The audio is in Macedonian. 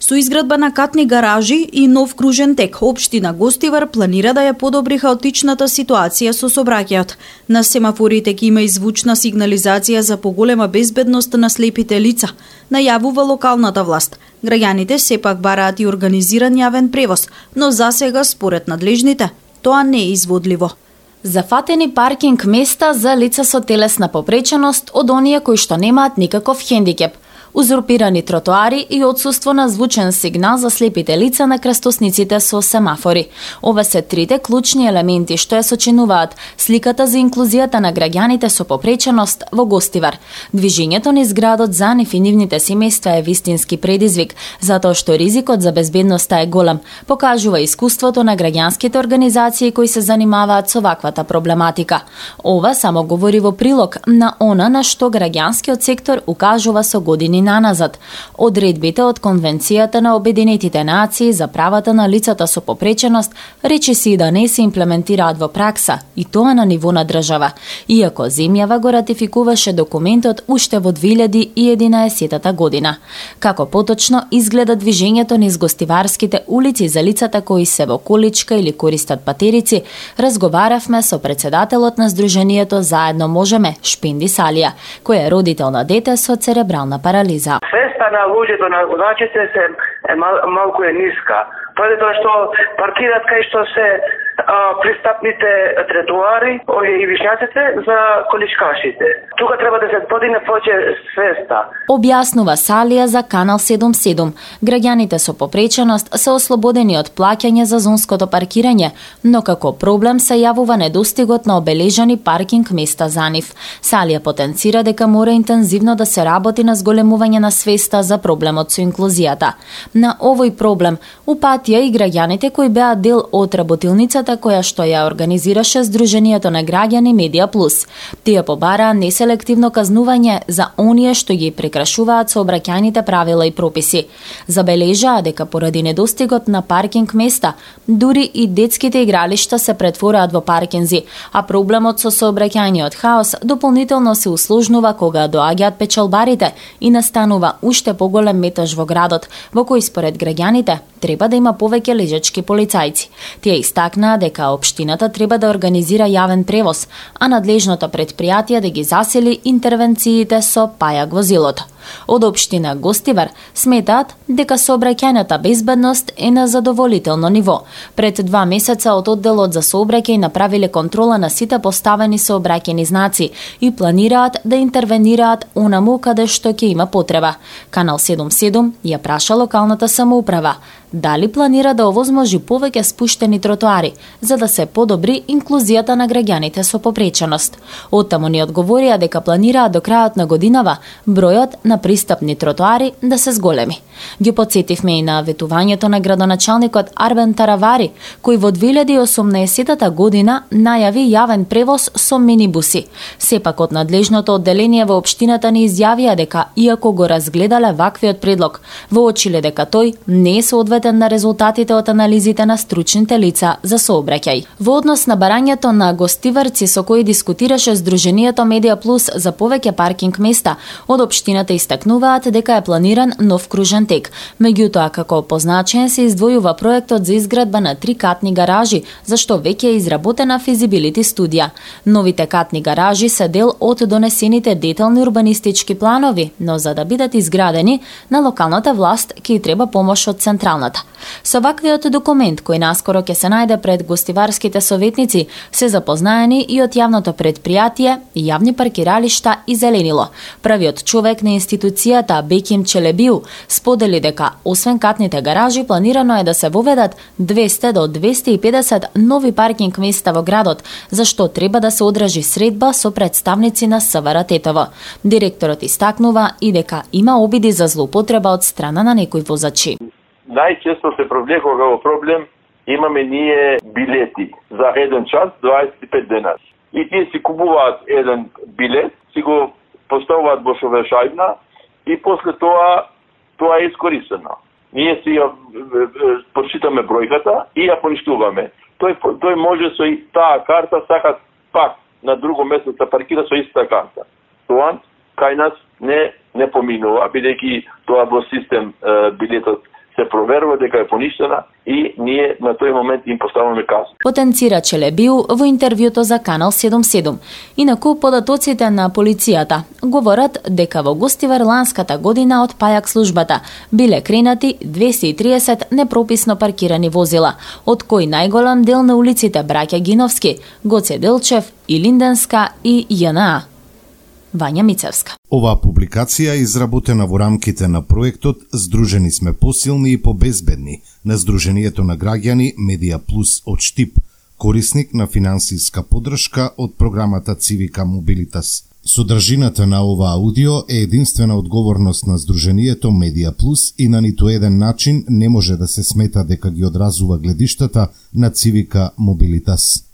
Со изградба на катни гаражи и нов кружен тек, општина Гостивар планира да ја подобри хаотичната ситуација со сообраќајот. На семафорите ќе има звучна сигнализација за поголема безбедност на слепите лица, најавува локалната власт. Граѓаните сепак бараат и организиран јавен превоз, но засега според надлежните тоа не е изводливо. Зафатени паркинг места за лица со телесна попреченост од оние кои што немаат никаков хендикеп. Узурпирани тротоари и отсуство на звучен сигнал за слепите лица на крстосниците со семафори. Ова се трите клучни елементи што ја сочинуваат сликата за инклузијата на граѓаните со попреченост во Гостивар. Движењето низ градот за нив и нивните семејства е вистински предизвик, затоа што ризикот за безбедноста е голем, покажува искуството на граѓанските организации кои се занимаваат со ваквата проблематика. Ова само говори во прилог на она на што граѓанскиот сектор укажува со години наназад. Одредбите од Конвенцијата на Обединетите нации за правата на лицата со попреченост речи си да не се имплементираат во пракса, и тоа на ниво на држава, иако земјава го ратификуваше документот уште во 2011 година. Како поточно изгледа движењето низ гостиварските улици за лицата кои се во количка или користат патерици, разговаравме со председателот на Сдруженијето Заедно можеме, Шпинди Салија, кој е родител на дете со церебрална парализа. Свеста на луѓето, на водачите е малку ниска. Поради тоа што паркираат кај што се пристапните тротоари и вишњаците за количкашите. Тука треба да се подигне повеќе свеста. Објаснува Салија за Канал 77. Граѓаните со попреченост се ослободени од плаќање за зонското паркирање, но како проблем се јавува недостигот на обележани паркинг места за нив. Салија потенцира дека мора интензивно да се работи на зголемување на свеста за проблемот со инклузијата. На овој проблем упатија и граѓаните кои беа дел од работилницата која што ја организираше Сдруженијето на граѓани Медија Плюс. Тие побараа неселективно казнување за оние што ги прекрашуваат сообраќајните правила и прописи. Забележаа дека поради недостигот на паркинг места, дури и детските игралишта се претвораат во паркинзи, а проблемот со сообраќајниот хаос дополнително се усложнува кога доаѓаат печалбарите и настанува уште поголем метеж во градот, во кој според граѓаните треба да има повеќе лежачки полицајци. Тие истакнаа дека општината треба да организира јавен превоз, а надлежното предпријатие да ги засели интервенциите со пајак возилото. Од општина Гостивар сметаат дека сообраќајната безбедност е на задоволително ниво. Пред 2 месеца од одделот за сообраќај направиле контрола на сите поставени сообраќајни знаци и планираат да интервенираат онаму каде што ќе има потреба. Канал 77 ја праша локалната самоуправа дали планира да овозможи повеќе спуштени тротоари за да се подобри инклузијата на граѓаните со попреченост. Оттаму ни одговорија дека планираат до крајот на годинава бројот на пристапни тротоари да се зголеми. Ги потсетивме и на ветувањето на градоначалникот Арбен Таравари, кој во 2018 година најави јавен превоз со минибуси. Сепак од надлежното одделение во општината ни изјавија дека иако го разгледале ваквиот предлог, воочиле дека тој не е соодветен на резултатите од анализите на стручните лица за сообраќај. Во однос на барањето на гостиварци со кои дискутираше Сдруженијето Медија Плюс за повеќе паркинг места, од општината истакнуваат дека е планиран нов кружен тек. Меѓутоа, како позначен се издвојува проектот за изградба на 3 катни гаражи, за што веќе е изработена физибилити студија. Новите катни гаражи се дел од донесените детални урбанистички планови, но за да бидат изградени, на локалната власт ќе треба помош од централната. Со ваквиот документ, кој наскоро ќе се најде пред гостиварските советници, се запознаени и од јавното предпријатие и јавни паркиралишта и Зеленило. Првиот човек на институцијата, Беким Челебиу, сподели дека освен катните гаражи планирано е да се воведат 200 до 250 нови паркинг места во градот, за што треба да се одржи средба со представници на СВР Тетово. Директорот истакнува и дека има обиди за злоупотреба од страна на некои возачи. Најчесто се провлекува во проблем, имаме ние билети за 1 час 25 денар. И тие си купуваат еден билет, си го поставуваат во шовешајбна и после тоа е искористено. Ние си ја почитаме бројката и ја поништуваме. Тој може со таа карта сакат пак на друго место да паркира со иста карта. Тоа кај нас не поминува, бидејќи тоа во систем билетот се се проверува дека е поништена и ние на тој момент им поставаме казна. Потенцира Челебиу во интервјуто за Канал 77. Инаку податоците на полицијата говорат дека во Гостивар ланската година од пајак службата биле кренати 230 непрописно паркирани возила, од кои најголем дел на улиците Браќа Гиновски, Гоце Делчев, Илинденска и ЈНА. Вања Мицевска. Оваа публикација е изработена во рамките на проектот Здружени сме посилни и побезбедни на Здруженијето на граѓани Медија Плюс од Штип, корисник на финансиска поддршка од програмата Цивика Мобилитас. Содржината на ова аудио е единствена одговорност на Здруженијето Медија Плюс и на ниту еден начин не може да се смета дека ги одразува гледиштата на Цивика Мобилитас.